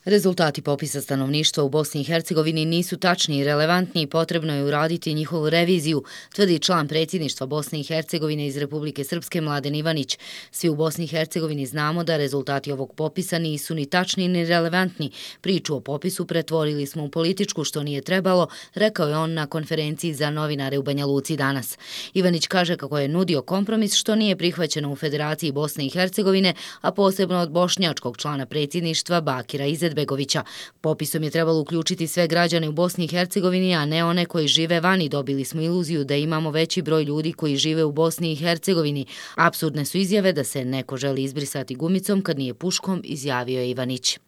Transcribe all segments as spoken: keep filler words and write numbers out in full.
Rezultati popisa stanovništva u Bosni i Hercegovini nisu tačni i relevantni i potrebno je uraditi njihovu reviziju, tvrdi član predsjedništva Bosne i Hercegovine iz Republike Srpske Mladen Ivanić. Svi u Bosni i Hercegovini znamo da rezultati ovog popisa nisu ni tačni ni relevantni. Priču o popisu pretvorili smo u političku, što nije trebalo, rekao je on na konferenciji za novinare u Banja Luci danas. Ivanić kaže kako je nudio kompromis što nije prihvaćeno u Federaciji Bosne i Hercegovine, a posebno od bošnjačkog člana predsjedništva Bakira Izetbegovića. Popisom je trebalo uključiti sve građane u Bosni i Hercegovini, a ne one koji žive vani. Dobili smo iluziju da imamo veći broj ljudi koji žive u Bosni i Hercegovini. Apsurdne su izjave da se neko želi izbrisati gumicom kad nije puškom, izjavio je Ivanić.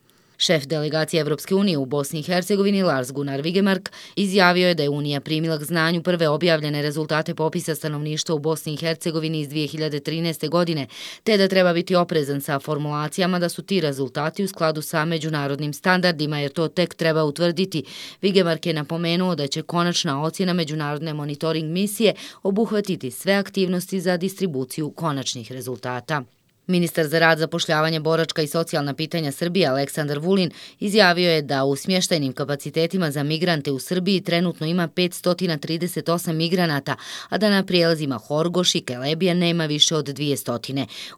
Šef delegacije Evropske unije u Bosni i Hercegovini Lars Gunnar Vigemark izjavio je da je Unija primila k znanju prve objavljene rezultate popisa stanovništva u Bosni i Hercegovini iz dvije hiljade trinaeste. godine, te da treba biti oprezan sa formulacijama da su ti rezultati u skladu sa međunarodnim standardima, jer to tek treba utvrditi. Vigemark je napomenuo da će konačna ocjena međunarodne monitoring misije obuhvatiti sve aktivnosti za distribuciju konačnih rezultata. Ministar za rad, zapošljavanje, boračka i socijalna pitanja Srbije Aleksandar Vulin izjavio je da u smještajnim kapacitetima za migrante u Srbiji trenutno ima petsto trideset osam migranata, a da na prijelazima Horgoš i Kelebija nema više od dvjesto.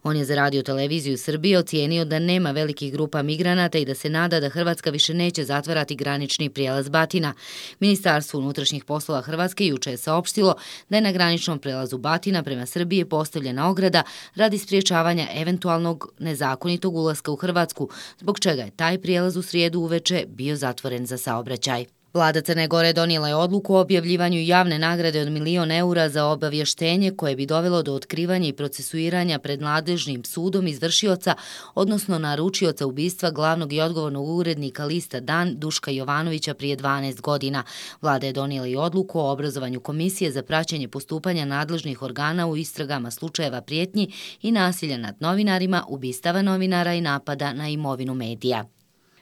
On je za Radio televiziju Srbije ocijenio da nema velikih grupa migranata i da se nada da Hrvatska više neće zatvarati granični prijelaz Batina. Ministarstvo unutrašnjih poslova Hrvatske juče je saopštilo da je na graničnom prelazu Batina prema Srbiji postavljena ograda radi spriječavanja eventualnog nezakonitog ulaska u Hrvatsku, zbog čega je taj prijelaz u srijedu uveče bio zatvoren za saobraćaj. Vlada Crne Gore donijela je odluku o objavljivanju javne nagrade od milion eura za obavještenje koje bi dovelo do otkrivanja i procesuiranja pred nadležnim sudom izvršioca, odnosno naručioca ubistva glavnog i odgovornog urednika lista Dan Duška Jovanovića prije dvanaest godina. Vlada je donijela i odluku o obrazovanju komisije za praćenje postupanja nadležnih organa u istragama slučajeva prijetnji i nasilja nad novinarima, ubistava novinara i napada na imovinu medija.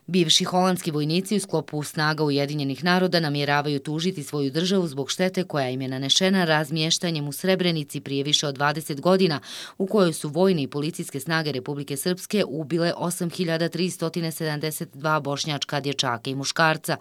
Bivši holandski vojnici u sklopu snaga Ujedinjenih naroda namjeravaju tužiti svoju državu zbog štete koja im je nanešena razmještanjem u Srebrenici prije više od dvadeset godina, u kojoj su vojne i policijske snage Republike Srpske ubile osam hiljada tristo sedamdeset dva bošnjačka dječaka i muškarca.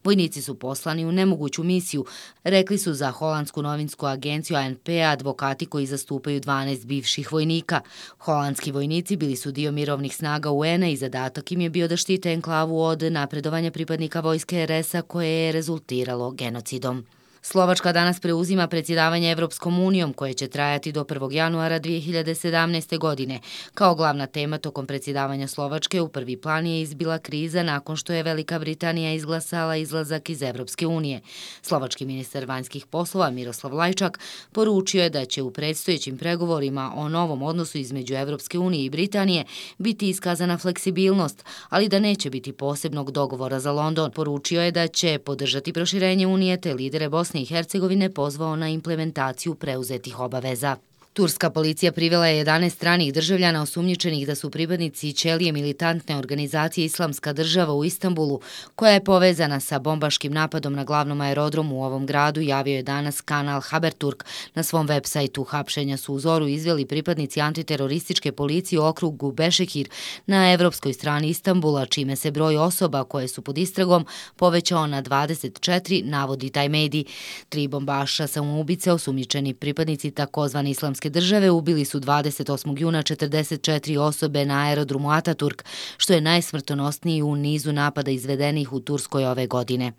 Vojnici su poslani u nemoguću misiju, rekli su za holandsku novinsku agenciju A N P advokati koji zastupaju dvanaest bivših vojnika. Holandski vojnici bili su dio mirovnih snaga U N-a i zadatak im je bio da štite enklavu od napredovanja pripadnika vojske R S-a koje je rezultiralo genocidom. Slovačka danas preuzima predsjedavanje Evropskom unijom koje će trajati do prvog januara dvije hiljade sedamnaeste. godine. Kao glavna tema tokom predsjedavanja Slovačke u prvi plan je izbila kriza nakon što je Velika Britanija izglasala izlazak iz Evropske unije. Slovački ministar vanjskih poslova Miroslav Lajčak poručio je da će u predstojećim pregovorima o novom odnosu između Evropske unije i Britanije biti iskazana fleksibilnost, ali da neće biti posebnog dogovora za London. Poručio je da će podržati proširenje unije te lidere Bosne i Hercegovine pozvao na implementaciju preuzetih obaveza. Turska policija privela je jedanaest stranih državljana osumnjičenih da su pripadnici ćelije militantne organizacije Islamska država u Istanbulu, koja je povezana sa bombaškim napadom na glavnom aerodromu u ovom gradu, javio je danas kanal Haberturk na svom web sajtu. Hapšenja su u zoru izveli pripadnici antiterorističke policije u okrugu Bešekir na evropskoj strani Istanbula, čime se broj osoba koje su pod istragom povećao na dvadeset četiri, navodi taj medij. Tri bombaša samoubice, osumnjičeni pripadnici takozvane Islamske države, ubili su dvadeset osmog juna četrdeset četiri osobe na aerodromu Ataturk, što je najsmrtonosniji u nizu napada izvedenih u Turskoj ove godine.